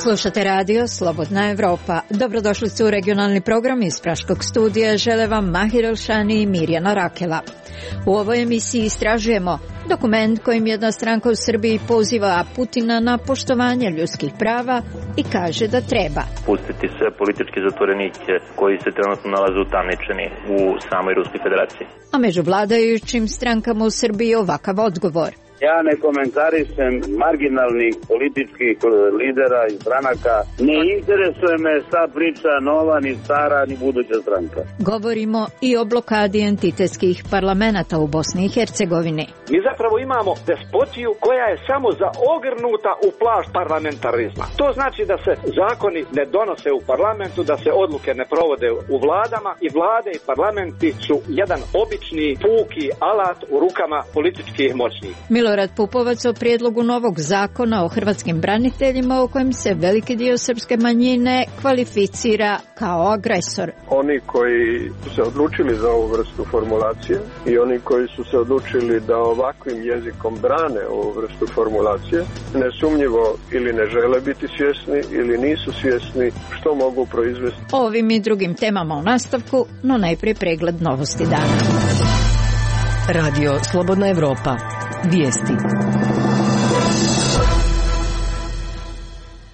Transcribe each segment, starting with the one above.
Slušate radio Slobodna Evropa. Dobrodošli su u regionalni program iz Praškog studija. Žele vam Mahir Elšani i Mirjana Rakela. U ovoj emisiji istražujemo dokument kojim jedna stranka u Srbiji poziva Putina na poštovanje ljudskih prava i kaže da treba pustiti sve političke zatvorenike koji se trenutno nalaze utamničeni u samoj Ruskoj federaciji. A među vladajućim strankama u Srbiji ovakav odgovor. Ja ne komentarišem marginalnih političkih lidera i stranaka. Ne interesuje me šta priča nova, ni stara, ni buduća stranka. Govorimo i o blokadi entitetskih parlamenata u Bosni i Hercegovini. Mi zapravo imamo despotiju koja je samo zaogrnuta u plašt parlamentarizma. To znači da se zakoni ne donose u parlamentu, da se odluke ne provode u vladama i vlade i parlamenti su jedan obični puki alat u rukama političkih moćnih. Milorad Pupovac o prijedlogu novog zakona o hrvatskim braniteljima u kojem se veliki dio srpske manjine kvalificira kao agresor. Oni koji su se odlučili za ovu vrstu formulacije i oni koji su se odlučili da ovakvim jezikom brane ovu vrstu formulacije, nesumnjivo ili ne žele biti svjesni ili nisu svjesni što mogu proizvesti. O ovim i drugim temama u nastavku, no najprije pregled novosti dana. Radio Slobodna Evropa. Vijesti.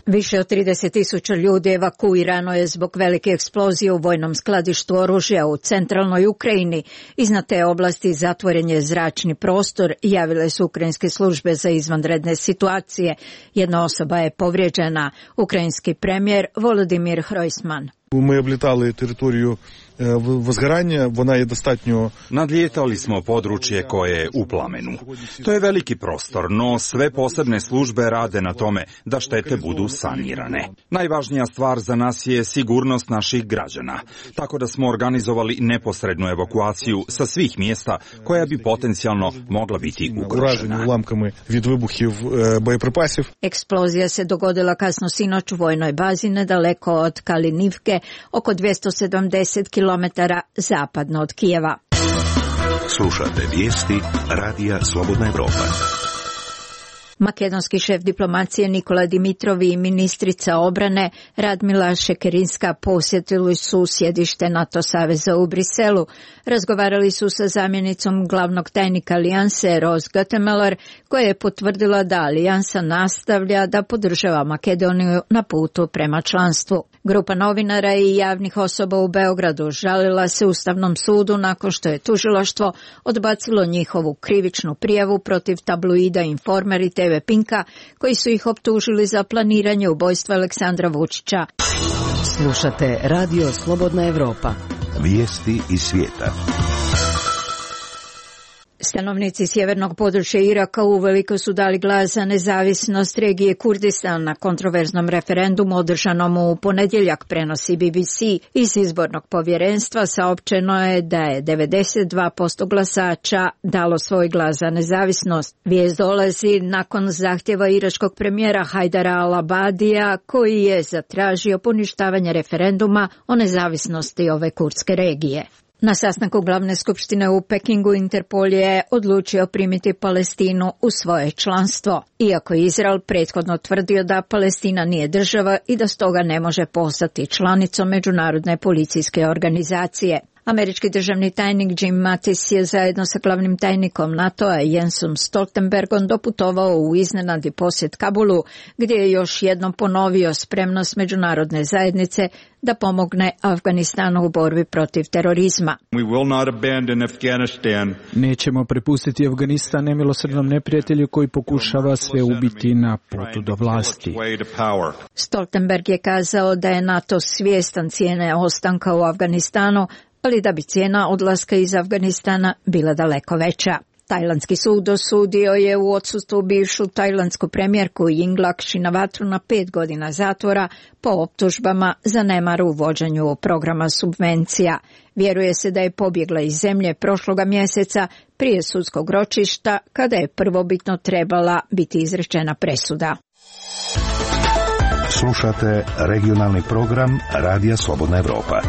Više od 30.000 ljudi evakuirano je zbog velike eksplozije u vojnom skladištu oružja u centralnoj Ukrajini. Iznad te oblasti zatvoren je zračni prostor, javile su ukrajinske službe za izvanredne situacije. Jedna osoba je povrijeđena. Ukrajinski premijer Volodymyr Hrojsman. Ми облітали територію возгорання, вона є достатньо... Nadlijetali smo područje koje je u plamenu. To je veliki prostor, no sve posebne službe rade na tome da štete budu sanirane. Najvažnija stvar za nas je sigurnost naših građana, tako da smo organizovali neposrednu evakuaciju sa svih mjesta koja bi potencijalno mogla biti ugrožena. Уламками від вибухів боєприпасів. Eksplozija se dogodila kasno sinoć u vojnoj bazi nedaleko od Kalinivke, oko 270 km zapadno od Kijeva. Slušate vijesti Radija Slobodna Evropa. Makedonski šef diplomacije Nikola Dimitrov i ministrica obrane Radmila Šekerinska posjetili su sjedište NATO saveza u Briselu. Razgovarali su sa zamjenicom glavnog tajnika alijanse Ros Gutemeller, koja je potvrdila da alijansa nastavlja da podržava Makedoniju na putu prema članstvu. Grupa novinara i javnih osoba u Beogradu žalila se Ustavnom sudu nakon što je tužilaštvo odbacilo njihovu krivičnu prijavu protiv tabloida Informer i TV Pinka, koji su ih optužili za planiranje ubojstva Aleksandra Vučića. Slušate Radio Slobodna Evropa. Vijesti iz svijeta. Stanovnici sjevernog područja Iraka uveliko su dali glas za nezavisnost regije Kurdistan na kontroverznom referendumu održanom u ponedjeljak, prenosi BBC. Iz izbornog povjerenstva saopćeno je da je 92% glasača dalo svoj glas za nezavisnost. Vijest dolazi nakon zahtjeva iračkog premijera Hajdara al-Abadija, koji je zatražio poništavanje referenduma o nezavisnosti ove kurdske regije. Na sastanku glavne skupštine u Pekingu Interpol je odlučio primiti Palestinu u svoje članstvo, iako je Izrael prethodno tvrdio da Palestina nije država i da stoga ne može postati članicom međunarodne policijske organizacije. Američki državni tajnik Jim Mattis je zajedno sa glavnim tajnikom NATO-a Jensom Stoltenbergom doputovao u iznenadni posjet Kabulu, gdje je još jednom ponovio spremnost međunarodne zajednice da pomogne Afganistanu u borbi protiv terorizma. Nećemo prepustiti Afganistan nemilosrdnom neprijatelju koji pokušava sve ubiti na putu do vlasti. Stoltenberg je kazao da je NATO svjestan cijene ostanka u Afganistanu, ali da bi cijena odlaska iz Afganistana bila daleko veća. Tajlandski sud osudio je u odsustvu bivšu tajlandsku premijerku Yingluck Shinawatru na 5 godina zatvora po optužbama za nemar u vođenju programa subvencija. Vjeruje se da je pobjegla iz zemlje prošloga mjeseca prije sudskog ročišta, kada je prvobitno trebala biti izrečena presuda. Slušate regionalni program Radija Slobodna Evropa.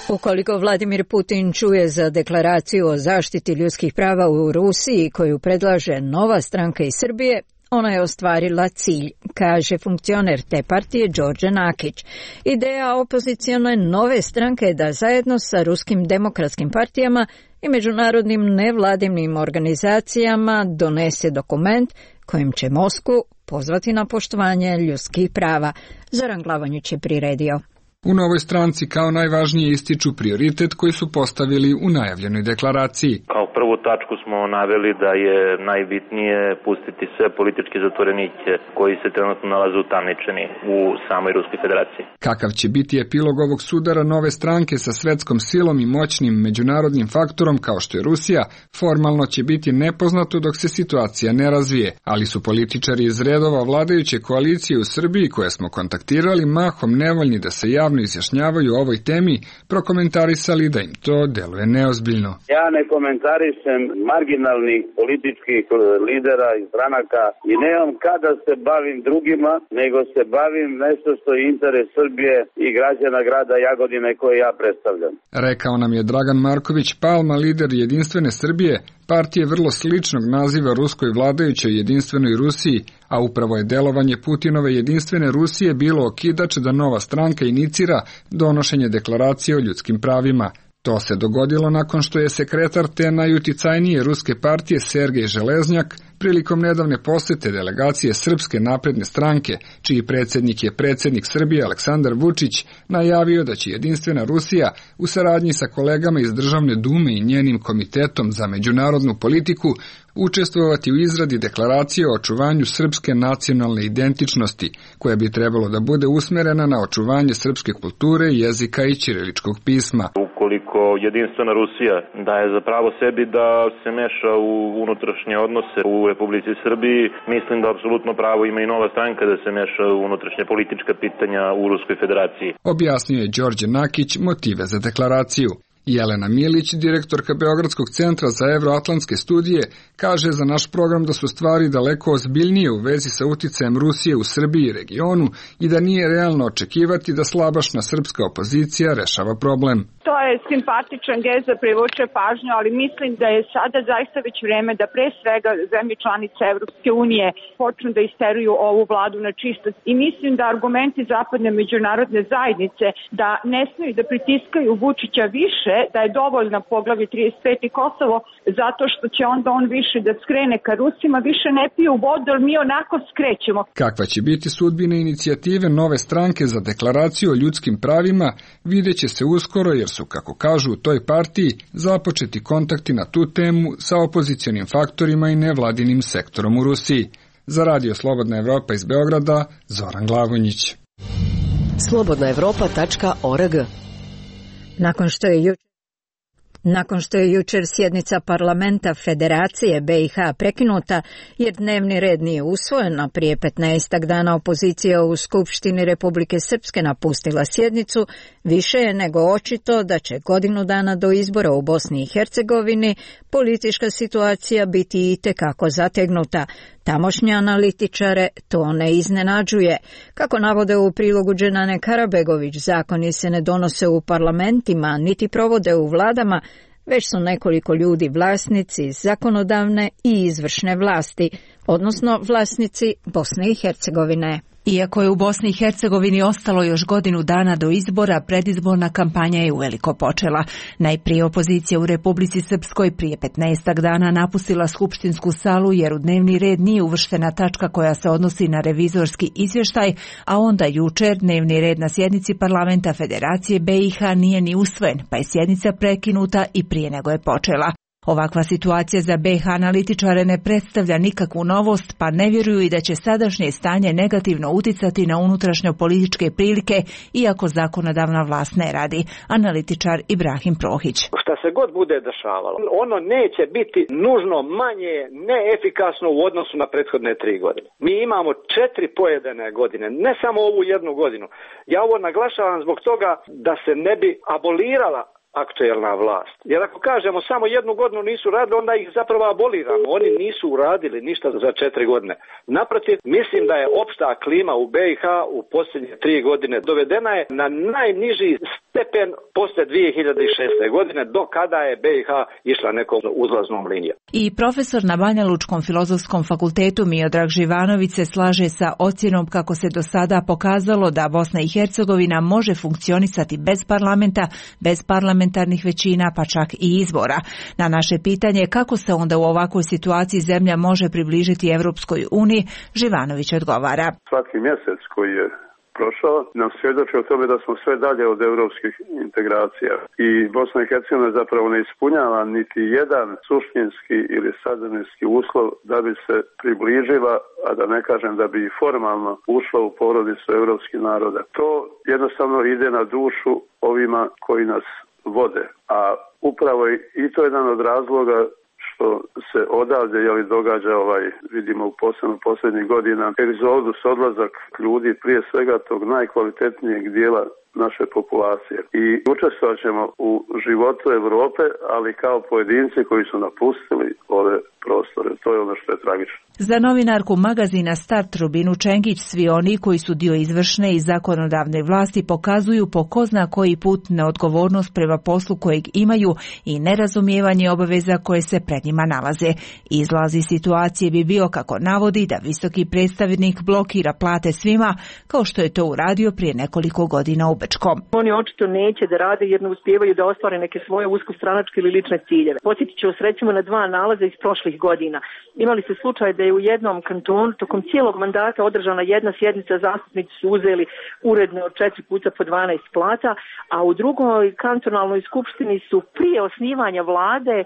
Ukoliko Vladimir Putin čuje za deklaraciju o zaštiti ljudskih prava u Rusiji koju predlaže nova stranka iz Srbije, ona je ostvarila cilj, kaže funkcioner te partije Đorđe Nakić. Ideja opozicione nove stranke je da zajedno sa ruskim demokratskim partijama i međunarodnim nevladinim organizacijama donese dokument kojim će Moskvu pozvati na poštovanje ljudskih prava. Zoran Glavonjić je priredio. U novoj stranci kao najvažnije ističu prioritet koji su postavili u najavljenoj deklaraciji. Kao prvu tačku smo naveli da je najbitnije pustiti sve političke zatvorenike koji se trenutno nalaze utamničeni u samoj Ruskoj federaciji. Kakav će biti epilog ovog sudara nove stranke sa svetskom silom i moćnim međunarodnim faktorom kao što je Rusija, formalno će biti nepoznato dok se situacija ne razvije, ali su političari iz redova vladajuće koalicije u Srbiji koje smo kontaktirali mahom nevoljni da se javno izjašnjavaju o ovoj temi, prokomentarisali da im to deluje neozbiljno. Ja ne komentarišem marginalnih političkih lidera i stranaka i nemam kada se bavim drugima, nego se bavim nešto što je interes Srbije i građana grada Jagodine koje ja predstavljam. Rekao nam je Dragan Marković Palma, lider Jedinstvene Srbije, partije vrlo sličnog naziva ruskoj vladajućoj Jedinstvenoj Rusiji, a upravo je delovanje Putinove Jedinstvene Rusije bilo okidač da nova stranka inicira donošenje deklaracije o ljudskim pravima. To se dogodilo nakon što je sekretar te najuticajnije ruske partije Sergej Železnjak prilikom nedavne posete delegacije Srpske napredne stranke, čiji predsjednik je predsjednik Srbije Aleksandar Vučić, najavio da će Jedinstvena Rusija u saradnji sa kolegama iz Državne dume i njenim komitetom za međunarodnu politiku učestvovati u izradi deklaracije o očuvanju srpske nacionalne identičnosti, koja bi trebalo da bude usmerena na očuvanje srpske kulture, jezika i ćiriličkog pisma. Ukoliko Jedinstvena Rusija daje za pravo sebi da se meša u unutrašnje odnose u Republici Srbiji, mislim da apsolutno pravo ima i nova stranka da se meša u unutrašnje politička pitanja u Ruskoj federaciji. Objasnio je Đorđe Nakić motive za deklaraciju. Jelena Milić, direktorka Beogradskog centra za evroatlantske studije, kaže za naš program da su stvari daleko ozbiljnije u vezi sa uticajem Rusije u Srbiji i regionu i da nije realno očekivati da slabašna srpska opozicija rešava problem. To je simpatičan gest da privuče pažnju, ali mislim da je sada zaista već vreme da pre svega zemlje članice Evropske unije počnu da isteruju ovu vladu na čistac. I mislim da argumenti zapadne međunarodne zajednice da ne smeju da pritiskaju Vučića više, da je dovoljna poglavlje 35 i Kosovo, zato što će onda on više da skrene ka Rusima, više ne piju vodu, ali mi onako skrećemo. Kakva će biti sudbina inicijative nove stranke za deklaraciju o ljudskim pravima, vidjet će se uskoro, jer su, kako kažu u toj partiji, započeti kontakti na tu temu sa opozicionim faktorima i nevladinim sektorom u Rusiji. Za Radio Slobodna Evropa iz Beograda, Zoran Glavonjić. slobodnaevropa.org. Nakon što je jučer sjednica parlamenta Federacije BiH prekinuta jer dnevni red nije usvojen, a prije 15 dana opozicija u Skupštini Republike Srpske napustila sjednicu, više je nego očito da će godinu dana do izbora u Bosni i Hercegovini politička situacija biti itekako zategnuta. Tamošnje analitičare to ne iznenađuje. Kako navode u prilogu Dženane Karabegović, zakoni se ne donose u parlamentima, niti provode u vladama, već su nekoliko ljudi vlasnici zakonodavne i izvršne vlasti, odnosno vlasnici Bosne i Hercegovine. Iako je u Bosni i Hercegovini ostalo još godinu dana do izbora, predizborna kampanja je uveliko počela. Najprije opozicija u Republici Srpskoj prije 15 dana napustila skupštinsku salu jer u dnevni red nije uvrštena tačka koja se odnosi na revizorski izvještaj, a onda jučer dnevni red na sjednici parlamenta Federacije BiH nije ni usvojen, pa je sjednica prekinuta i prije nego je počela. Ovakva situacija za BiH analitičare ne predstavlja nikakvu novost, pa ne vjeruju i da će sadašnje stanje negativno uticati na unutrašnje političke prilike, iako zakonodavna vlast ne radi. Analitičar Ibrahim Prohić. Šta se god bude dešavalo, ono neće biti nužno manje neefikasno u odnosu na prethodne 3 godine. Mi imamo 4 pojedene godine, ne samo ovu jednu godinu. Ja ovo naglašavam zbog toga da se ne bi abolirala aktuelna vlast. Jer ako kažemo samo 1 godinu nisu radili, onda ih zapravo aboliramo. Oni nisu uradili ništa za 4 godine. Naprotiv, mislim da je opšta klima u BiH u posljednje 3 godine dovedena je na najniži stepen posle 2006. godine, do kada je BiH išla nekom uzlaznom linijom. I profesor na Banja Lučkom filozofskom fakultetu Miodrag Živanović se slaže sa ocjenom kako se do sada pokazalo da Bosna i Hercegovina može funkcionisati bez parlamenta, bez parlamentarnih većina, pa čak i izbora. Na naše pitanje kako se onda u ovakvoj situaciji zemlja može približiti Evropskoj uniji, Živanović odgovara. Svaki mjesec koji je prošao nam svjedoči o tome da smo sve dalje od europskih integracija i Bosna i Hercegovina zapravo ne ispunjava niti jedan suštinski ili sadržinski uslov da bi se približila, a da ne kažem da bi formalno ušla u porodicu europskih naroda. To jednostavno ide na dušu ovima koji nas vode, a upravo i to je jedan od razloga što se odavde događa vidimo u posljednjih godina egzodus, odlazak ljudi, prije svega tog najkvalitetnijeg dijela naše populacije. I učestvovat ćemo u životu Europe, ali kao pojedinci koji su napustili ove prostore. To je ono što je tragično. Za novinarku magazina Start Rubinu Čengić, svi oni koji su dio izvršne i zakonodavne vlasti pokazuju po ko zna koji put neodgovornost prema poslu kojeg imaju i nerazumijevanje obaveza koje se pred njima nalaze. Izlaz iz situacije bi bio, kako navodi, da visoki predstavnik blokira plate svima, kao što je to uradio prije nekoliko godina u Bečkom. Oni očito neće da rade jer ne uspijevaju da ostvare neke svoje uskostranačke ili lične ciljeve. Podsjetit ću vas recimo na 2 nalaza iz prošlih godina. Imali se slučaj da je u jednom kantonu tokom cijelog mandata održana jedna sjednica, zastupnici su uzeli uredno od 4 puta po 12 plata, a u drugoj kantonalnoj skupštini su prije osnivanja vlade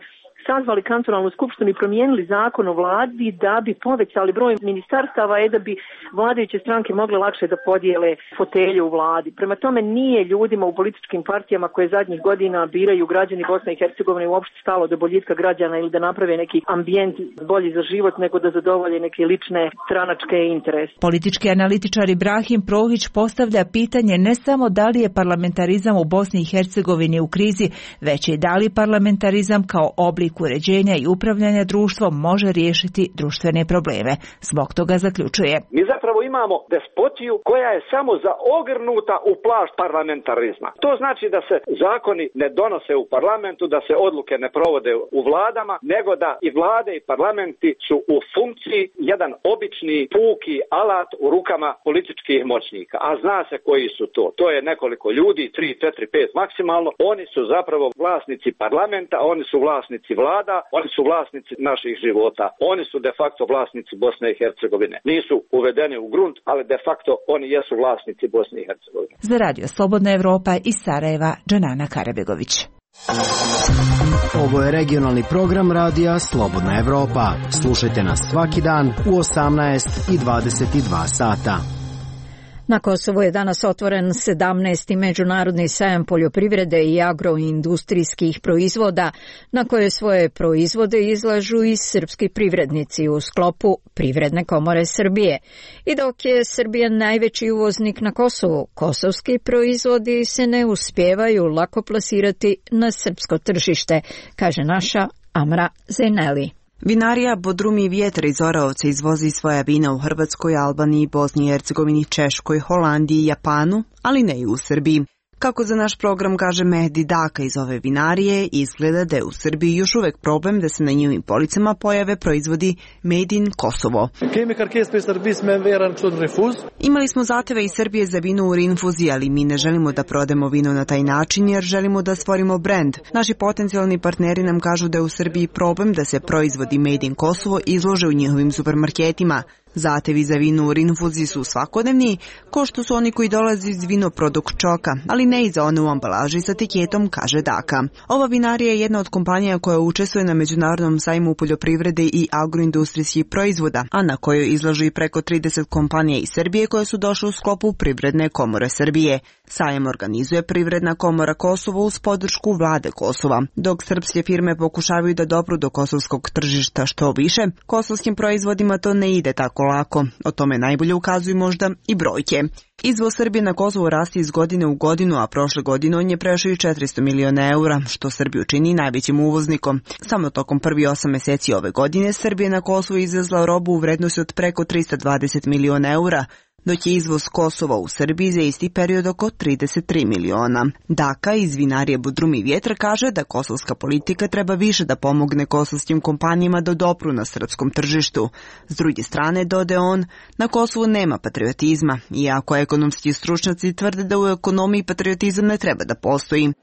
sazvali kantonalnu skupštinu i promijenili zakon o vladi da bi povećali broj ministarstava i da bi vladajuće stranke mogle lakše da podijele fotelje u vladi. Prema tome nije ljudima u političkim partijama koje zadnjih godina biraju građani Bosne i Hercegovine uopšte stalo do boljitka građana ili da naprave neki ambijent bolji za život nego da zadovolje neke lične stranačke interese. Politički analitičar Ibrahim Prohić postavlja pitanje ne samo da li je parlamentarizam u Bosni i Hercegovini u krizi, već i da li parlamentarizam kao oblik uređenja i upravljanja društvom može riješiti društvene probleme. Zbog toga zaključuje. Mi zapravo imamo despotiju koja je samo zaogrnuta u plašt parlamentarizma. To znači da se zakoni ne donose u parlamentu, da se odluke ne provode u vladama, nego da i vlade i parlamenti su u funkciji jedan obični puki alat u rukama političkih moćnika. A zna se koji su to. To je nekoliko ljudi, 3, 4, 5 maksimalno. Oni su zapravo vlasnici parlamenta, oni su vlasnici vlada, oni su vlasnici naših života. Oni su de facto vlasnici Bosne i Hercegovine. Nisu uvedeni u grunt, ali de facto oni jesu vlasnici Bosne i Hercegovine. Za Radio Slobodna Evropa iz Sarajeva, Džanana Karabegović. Ovo je regionalni program radija Slobodna Evropa. Slušajte nas svaki dan u 18 i 22 sata. Na Kosovu je danas otvoren 17. međunarodni sajam poljoprivrede i agroindustrijskih proizvoda, na koje svoje proizvode izlažu i srpski privrednici u sklopu Privredne komore Srbije. I dok je Srbija najveći uvoznik na Kosovu, kosovski proizvodi se ne uspijevaju lako plasirati na srpsko tržište, kaže naša Amra Zeneli. Vinarija Bodrumi Vjetar iz Oraovca izvozi svoja vina u Hrvatskoj, Albaniji, Bosni i Hercegovini, Češkoj, Holandiji i Japanu, ali ne i u Srbiji. Kako za naš program kaže Mehdi Daka iz ove vinarije, izgleda da je u Srbiji još uvek problem da se na njihovim policama pojave proizvodi Made in Kosovo. Imali smo zahteve iz Srbije za vino u rinfuzi, ali mi ne želimo da prodemo vino na taj način jer želimo da stvorimo brend. Naši potencijalni partneri nam kažu da je u Srbiji problem da se proizvodi Made in Kosovo izlože u njihovim supermarketima. Zahtevi za vino u rinfuzi su svakodnevni, ko što su oni koji dolaze iz vinoproduk čoka, ali ne i za one u ambalaži sa etiketom, kaže Daka. Ova vinarija je jedna od kompanija koja učestvuje na Međunarodnom sajmu poljoprivrede i agroindustrijskih proizvoda, a na kojoj izlažu i preko 30 kompanija iz Srbije koje su došle u sklopu Privredne komore Srbije. Sajam organizuje Privredna komora Kosovo uz podršku vlade Kosova. Dok srpske firme pokušavaju da dopru do kosovskog tržišta što više, kosovskim proizvodima to ne ide tako tako lako. O tome najbolje ukazuju možda i brojke. Izvoz Srbije na Kosovo rasti iz godine u godinu, a prošle godine on je prešao i 400 miliona eura, što Srbiju čini najvećim uvoznikom. Samo tokom prvi 8 meseci ove godine Srbija na Kosovo izvezla robu u vrednosti od preko 320 miliona eura, dok je izvoz Kosova u Srbiji za isti period oko 33 miliona. Daka iz vinarije Bodrum i Vjetar kaže da kosovska politika treba više da pomogne kosovskim kompanijama da dopru na srpskom tržištu. S druge strane, dode on, na Kosovu nema patriotizma, iako ekonomski stručnjaci tvrde da u ekonomiji patriotizam ne treba da postoji.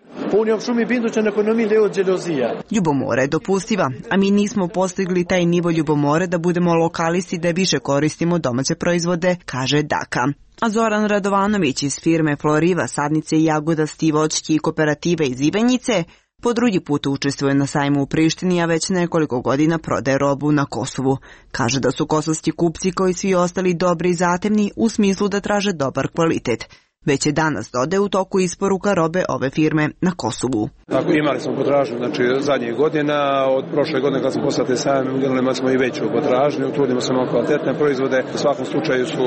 Ljubomora je dopustiva, a mi nismo postigli taj nivo ljubomore da budemo lokalisti da više koristimo domaće proizvode, kaže Daka. A Zoran Radovanović iz firme Floriva, sadnice i jagoda Stivočki i kooperative iz Ivanjice po drugi put učestvuje na sajmu u Prištini, a već nekoliko godina prodaje robu na Kosovu. Kaže da su kosovski kupci kao i svi ostali dobri i zatemni u smislu da traže dobar kvalitet. Već je danas dode u toku isporuka robe ove firme na Kosovu. Tako, imali smo potražnju, znači zadnjih godina, od prošle godine kad smo poslali sajam, imali smo i veću potražnju, trudimo se na kvalitetne proizvode, u svakom slučaju su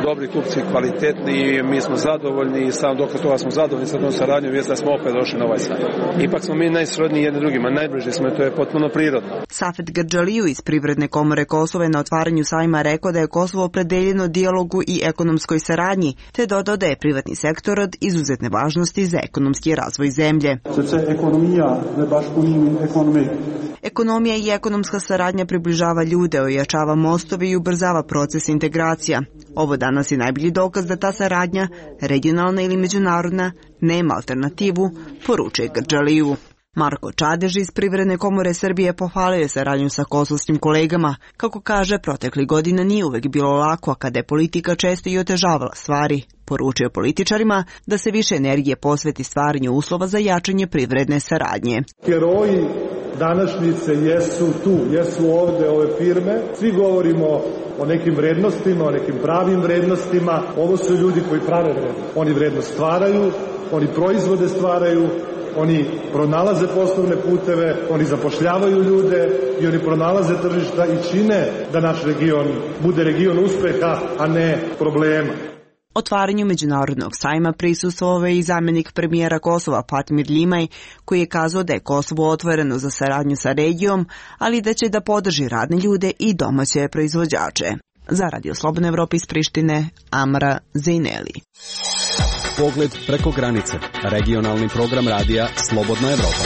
dobri kupci, kvalitetni, mi smo zadovoljni i sam dokaz toga smo zadovoljni sa tom saradnjom, jest da smo opet došli na ovaj sajam. Ipak smo mi najsrodniji jedni drugima, najbliži smo i to je potpuno prirodno. Safet Grdžaliju iz Privredne komore Kosova je na otvaranju sajma rekao da je Kosovo opredeljeno dijalogu i ekonomskoj saradnji, te dodao da je privatni sektor od izuzetne važnosti za ekonomski razvoj zemlje. Ekonomija i ekonomska saradnja približava ljude, ojačava mostove i ubrzava proces integracija. Ovo danas je najbolji dokaz da ta saradnja, regionalna ili međunarodna, nema alternativu, poručuje Grdžaliju. Marko Čadež iz Privredne komore Srbije pohvalio je saradnju sa kosovskim kolegama. Kako kaže, protekli godina nije uvek bilo lako, a kada je politika često i otežavala stvari. Poručio političarima da se više energije posveti stvaranju uslova za jačanje privredne saradnje. Heroji današnjice jesu tu, jesu ovde ove firme. Svi govorimo o nekim vrednostima, o nekim pravim vrednostima. Ovo su ljudi koji prave vrednost. Oni vrednost stvaraju, oni proizvode stvaraju, oni pronalaze poslovne puteve, oni zapošljavaju ljude i oni pronalaze tržišta i čine da naš region bude region uspeha, a ne problema. Otvaranju međunarodnog sajma prisustvovao je i zamjenik premijera Kosova Fatmir Ljimaj, koji je kazao da je Kosovo otvoreno za saradnju sa regijom, ali da će da podrži radne ljude i domaće proizvođače. Za Radio Slobodna Evropa iz Prištine, Amra Zejneli. Pogled preko granice. Regionalni program radija Slobodna Evropa.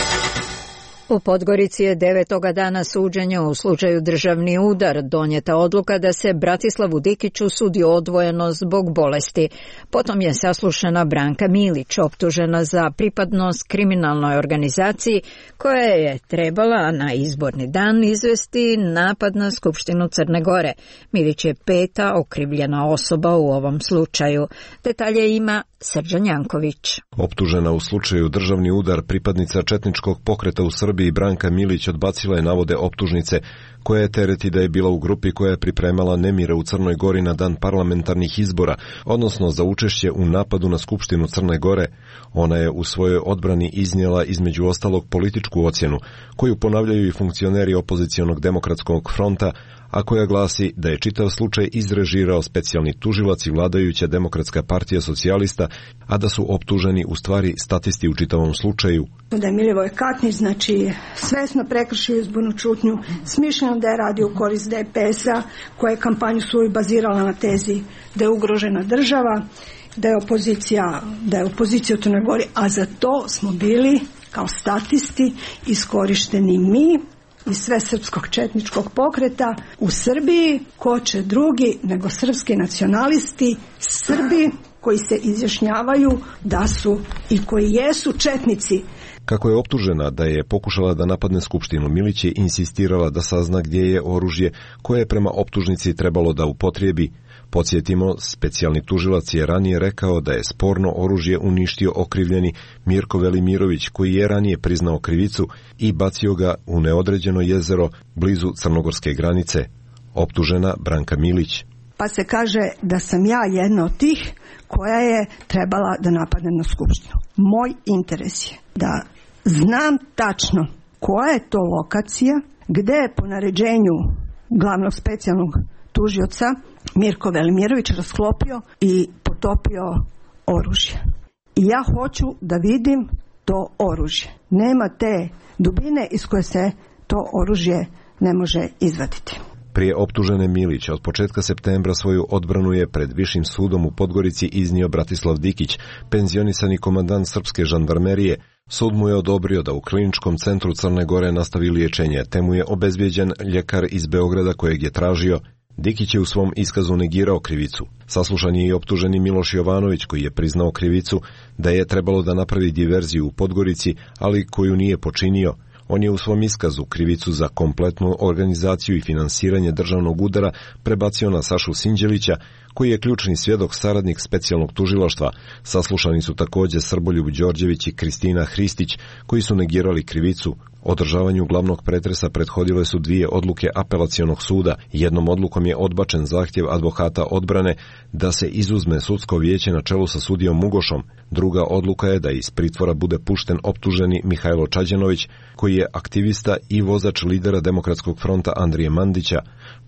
U Podgorici je 9. dana suđenja u slučaju državni udar donijeta odluka da se Bratislavu Dikiću sudi odvojeno zbog bolesti. Potom je saslušana Branka Milić, optužena za pripadnost kriminalnoj organizaciji koja je trebala na izborni dan izvesti napad na Skupštinu Crne Gore. Milić je 5. okrivljena osoba u ovom slučaju. Detalje ima Srđan Janković. Optužena u slučaju državni udar pripadnica četničkog pokreta u Srbiji Branka Milić odbacila je navode optužnice koja je tereti da je bila u grupi koja je pripremala nemire u Crnoj Gori na dan parlamentarnih izbora, odnosno za učešće u napadu na Skupštinu Crne Gore. Ona je u svojoj odbrani iznijela između ostalog političku ocjenu, koju ponavljaju i funkcioneri opozicionog demokratskog fronta, a koja glasi da je čitav slučaj izrežirao specijalni tužilac i vladajuća Demokratska partija socijalista, a da su optuženi u stvari statisti u čitavom slučaju. Da je Milivoj Katnić, znači, svesno prekršio izbornu čutnju, smišljeno da je radio u korist DPS-a, koja je kampanju svoju bazirala na tezi da je ugrožena država, da je opozicija u Crnoj Gori, a za to smo bili kao statisti iskorišteni mi iz sve srpskog četničkog pokreta u Srbiji. Ko će drugi nego srpski nacionalisti, Srbi koji se izjašnjavaju da su i koji jesu četnici. Kako je optužena da je pokušala da napadne Skupštinu, Milić je insistirala da sazna gdje je oružje koje je prema optužnici trebalo da upotrijebi. Podsjetimo, specijalni tužilac je ranije rekao da je sporno oružje uništio okrivljeni Mirko Velimirović, koji je ranije priznao krivicu i bacio ga u neodređeno jezero blizu crnogorske granice. Optužena Branka Milić. Pa se kaže da sam ja jedna od tih koja je trebala da napadne na Skupštinu. Moj interes je da znam tačno koja je to lokacija, gde je po naređenju glavnog specijalnog tužioca Mirko Velimirović rasklopio i potopio oružje. I ja hoću da vidim to oružje. Nema te dubine iz koje se to oružje ne može izvaditi. Prije optužene Milića od početka septembra svoju odbranu je pred Višim sudom u Podgorici iznio Bratislav Dikić, penzionisani komandant srpske žandarmerije. Sud mu je odobrio da u Kliničkom centru Crne Gore nastavi liječenje, te mu je obezbijeđen ljekar iz Beograda kojeg je tražio. Dikić je u svom iskazu negirao krivicu. Saslušan je i optuženi Miloš Jovanović koji je priznao krivicu da je trebalo da napravi diverziju u Podgorici, ali koju nije počinio. On je u svom iskazu krivicu za kompletnu organizaciju i finansiranje državnog udara prebacio na Sašu Sinđelića, koji je ključni svjedok saradnik specijalnog tužilaštva. Saslušani su također Srboljub Đorđević i Kristina Hristić, koji su negirali krivicu. Održavanju glavnog pretresa prethodile su 2 odluke apelacionog suda. Jednom odlukom je odbačen zahtjev advokata odbrane da se izuzme sudsko vijeće na čelu sa sudijom Mugošom. Druga odluka je da iz pritvora bude pušten optuženi Mihajlo Čađenović, koji je aktivista i vozač lidera Demokratskog fronta Andrije Mandića.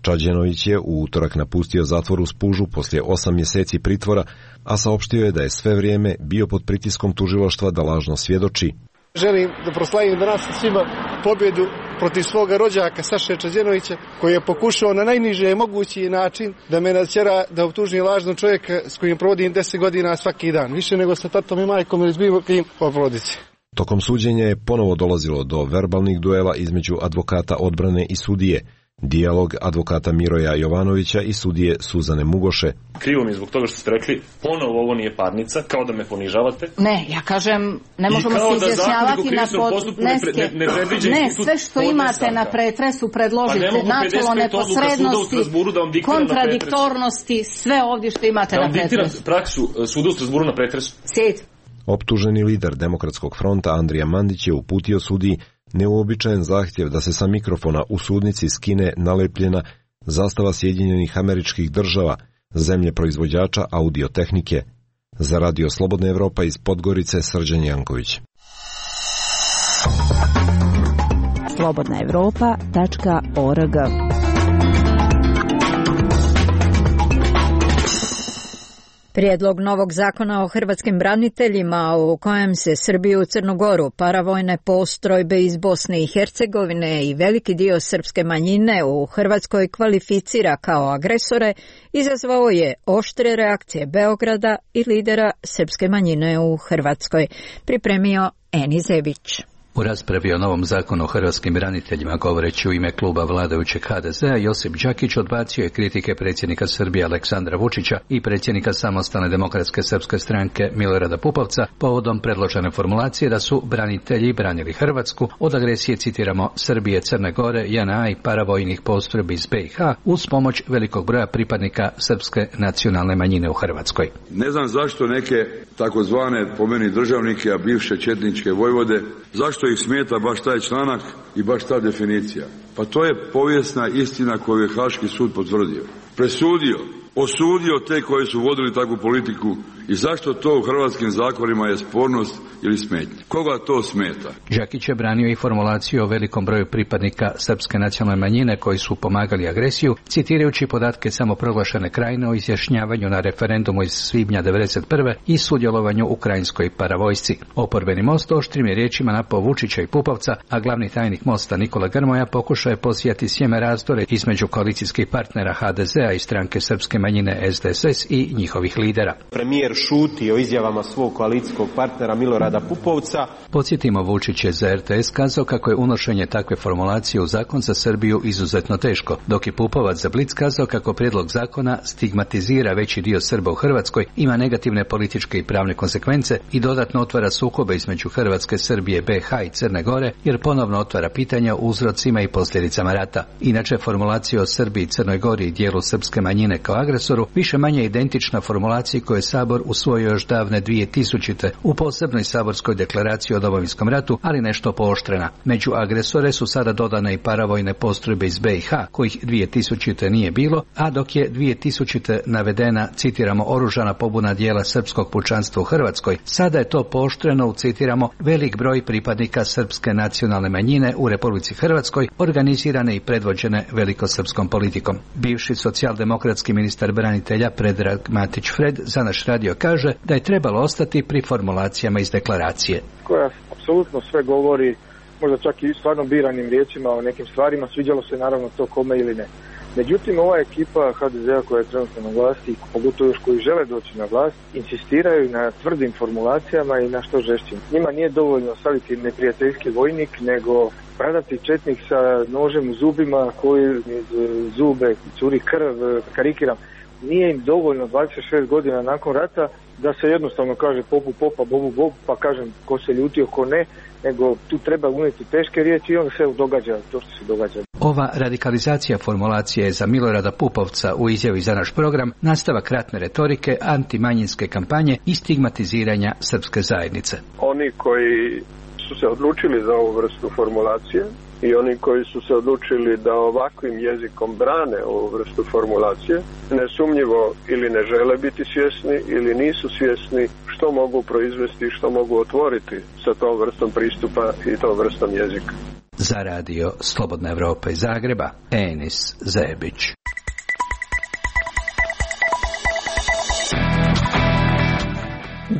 Čađenović je u utorak napustio zatvor u Spužu poslije 8 mjeseci pritvora, a saopštio je da je sve vrijeme bio pod pritiskom tužilaštva da lažno svjedoči. Želim da proslavim danas svima pobjedu protiv svoga rođaka Saše Čađenovića, koji je pokušao na najniže mogući način da me natjera da optužim lažnog čovjeka s kojim provodim 10 godina svaki dan, više nego sa tatom i majkom ili s bilo kim po porodici. Tokom suđenja je ponovo dolazilo do verbalnih duela između advokata odbrane i sudije. Dijalog advokata Miroja Jovanovića i sudije Suzane Mugoše. Krivo mi je zbog toga što ste rekli, ponovo ovo nije parnica, kao da me ponižavate. Ne, ja kažem, ne možemo se izjašnjavati na podneske. Ne, sve što imate na pretresu predložite, načelo neposrednosti, kontradiktornosti, sve ovdje što imate na pretresu. Da vam diktiram praksu suda u Strasburu na pretresu. Sjed. Optuženi lider Demokratskog fronta Andrija Mandić je uputio sudiji neuobičajen zahtjev da se sa mikrofona u sudnici skine nalepljena zastava Sjedinjenih Američkih Država, zemlje proizvođača audiotehnike. Za Radio Slobodna Evropa iz Podgorice, Srđan Janković. slobodnaevropa.org. Prijedlog novog zakona o hrvatskim braniteljima u kojem se Srbiju, Crnu Goru, paravojne postrojbe iz Bosne i Hercegovine i veliki dio srpske manjine u Hrvatskoj kvalificira kao agresore, izazvao je oštre reakcije Beograda i lidera srpske manjine u Hrvatskoj. Pripremio Eni Zebić. U raspravi o novom zakonu o hrvatskim braniteljima, govoreći u ime kluba vladajućeg HDZ-a, Josip Đakić odbacio je kritike predsjednika Srbije Aleksandra Vučića i predsjednika Samostalne demokratske srpske stranke Milorada Pupovca povodom predložene formulacije da su branitelji branili Hrvatsku od agresije, citiramo, Srbije, Crne Gore, JNA i paravojnih postrojbi iz BiH uz pomoć velikog broja pripadnika srpske nacionalne manjine u Hrvatskoj. Ne znam zašto neke takozvane po meni državnike, a bivše četničke vojvode, zašto ih smeta baš taj članak i baš ta definicija? Pa to je povijesna istina koju je Haški sud potvrdio. Presudio, osudio te koji su vodili takvu politiku i zašto to u hrvatskim zakonima je spornost ili smetnja. Koga to smeta? Đakić je branio i formulaciju o velikom broju pripadnika srpske nacionalne manjine koji su pomagali agresiju, citirajući podatke samoproglašene Krajine o izjašnjavanju na referendumu iz svibnja 1991. i sudjelovanju u krajinskoj paravojsci. Oporbeni Most oštrim je riječima napao Vučića i Pupovca, a glavni tajnik Mosta Nikola Grmoja pokušao je posijati sjeme razdore između koalicijskih partnera HDZ-a i stranke srpske manjine SDSS i njihovih lidera. Premijer šuti o izjavama svog koalicijskog partnera Milorada Pupovca. Podsjetimo, Vučić je za RTS kazao kako je unošenje takve formulacije u zakon za Srbiju izuzetno teško, dok je Pupovac za Blic kazao kako prijedlog zakona stigmatizira veći dio Srba u Hrvatskoj, ima negativne političke i pravne konsekvence i dodatno otvara sukobe između Hrvatske, Srbije, BiH i Crne Gore, jer ponovno otvara pitanja o uzrocima i posljedicama rata. Inače, formulacija o Srbiji, Crnoj Gori i dijelu srpske manjine kao agresoru više manje identična formulaciji koju je Sabor usvojio još davne 2000. u posebnoj saborskoj deklaraciji o Domovinskom ratu, ali nešto pooštrena. Među agresore su sada dodane i paravojne postrojbe iz BiH, kojih 2000. nije bilo, a dok je 2000. navedena, citiramo, oružana pobuna dijela srpskog pučanstva u Hrvatskoj, sada je to pooštreno, citiramo, velik broj pripadnika srpske nacionalne manjine u Republici Hrvatskoj, organizirane i predvođene velikosrpskom politikom. Bivši socijaldemokratski ministar branitelja Predrag Matić Fred za naš radio kaže da je trebalo ostati pri formulacijama iz deklaracije. Koja apsolutno sve govori, možda čak i stvarno biranim riječima o nekim stvarima, sviđalo se naravno to kome ili ne. Međutim, ova ekipa HDZ-a koja je trenutno na vlasti, pogotovo još koji žele doći na vlast, insistiraju na tvrdim formulacijama i na što žešćim. Njima nije dovoljno staviti neprijateljski vojnik, nego pradati četnik sa nožem u zubima koji iz zube curi krv, karikiram. Nije im dovoljno 26 godina nakon rata da se jednostavno kaže popu popa, bobu bob, pa kažem ko se ljutio, ko ne, nego tu treba unijeti teške riječi i onda se događa to što se događa. Ova radikalizacija formulacije je za Milorada Pupovca u izjavi za naš program nastavak ratne retorike, antimanjinske kampanje i stigmatiziranja srpske zajednice. Oni koji su se odlučili za ovu vrstu formulacije i oni koji su se odlučili da ovakvim jezikom brane ovu vrstu formulacije, nesumnjivo ili ne žele biti svjesni ili nisu svjesni što mogu proizvesti i što mogu otvoriti sa tom vrstom pristupa i tom vrstom jezika. Za radio Slobodna Evropa iz Zagreba, Enis Zebić.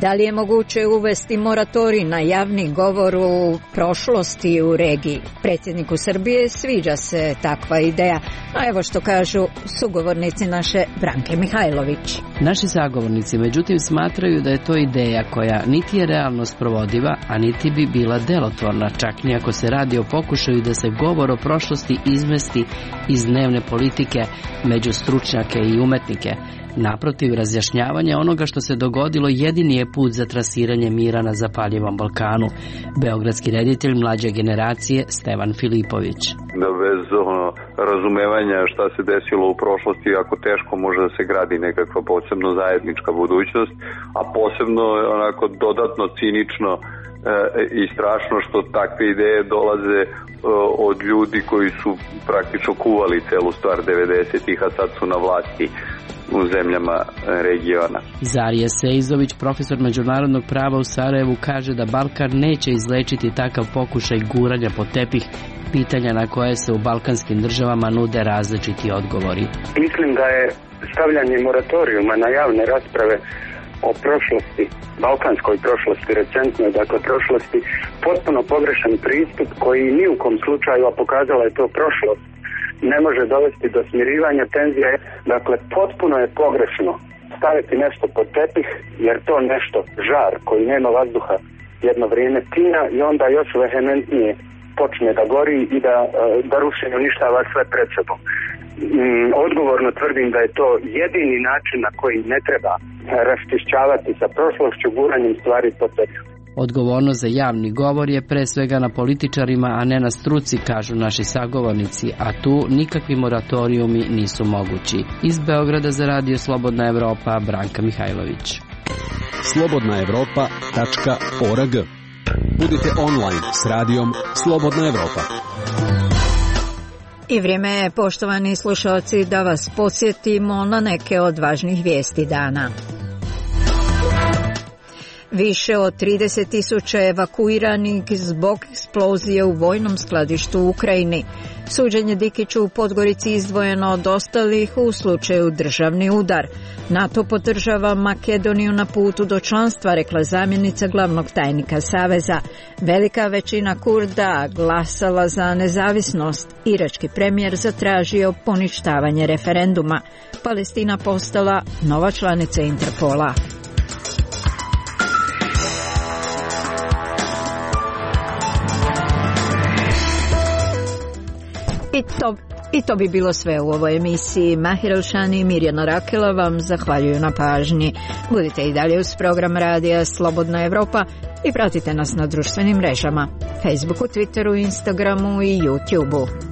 Da li je moguće uvesti moratorij na javni govor u prošlosti u regiji? Predsjedniku Srbije sviđa se takva ideja, a evo što kažu sugovornici naše Branke Mihajlović. Naši sagovornici međutim smatraju da je to ideja koja niti je realno sprovodiva, a niti bi bila delotvorna, čak ni ako se radi o pokušaju da se govor o prošlosti izmesti iz dnevne politike među stručnjake i umetnike. Naprotiv, razjašnjavanje onoga što se dogodilo jedini je put za trasiranje mira na zapaljivom Balkanu. Beogradski reditelj mlađe generacije Stevan Filipović. Bez razumevanja šta se desilo u prošlosti, jako teško može da se gradi nekakva posebno zajednička budućnost, a posebno onako dodatno cinično i strašno što takve ideje dolaze od ljudi koji su praktično kuvali celu stvar 90-ih, a sad su na vlasti u zemljama regiona. Zarije Sejzović, profesor međunarodnog prava u Sarajevu, kaže da Balkan neće izlečiti takav pokušaj guranja pod tepih pitanja na koje se u balkanskim državama nude različiti odgovori. Mislim da je stavljanje moratorijuma na javne rasprave o prošlosti, balkanskoj prošlosti, recentnoj, dakle prošlosti, potpuno pogrešan pristup koji ni u kom slučaju, a pokazala je to prošlost, ne može dovesti do smirivanja tenzija. Dakle, potpuno je pogrešno staviti nešto pod tepih, jer to nešto, žar koji nema vazduha, jedno vrijeme tina i onda još vehementnije počne da gori i da ruši i uništava sve pred sobom. Odgovorno tvrdim da je to jedini način na koji ne treba raščišćavati sa prošlošću guranjem stvari pod tepih. Odgovornost za javni govor je pre svega na političarima, a ne na struci, kažu naši sagovornici, a tu nikakvi moratorijumi nisu mogući. Iz Beograda za radio Slobodna Evropa, Branka Mihajlović. slobodnaevropa.org. Budite online s radijom Slobodna Evropa. I vrijeme je, poštovani slušalci, da vas podsjetimo na neke od važnih vijesti dana. Više od 30.000 evakuiranih zbog eksplozije u vojnom skladištu u Ukrajini. Suđenje Dikiću u Podgorici izdvojeno od ostalih u slučaju državni udar. NATO podržava Makedoniju na putu do članstva, rekla zamjenica glavnog tajnika Saveza. Velika većina Kurda glasala za nezavisnost. Irački premijer zatražio poništavanje referenduma. Palestina postala nova članica Interpola. I to bi bilo sve u ovoj emisiji. Mahir Elšani i Mirjana Rakela vam zahvaljuju na pažnji. Budite i dalje uz program radija Slobodna Evropa i pratite nas na društvenim mrežama, Facebooku, Twitteru, Instagramu i YouTubeu.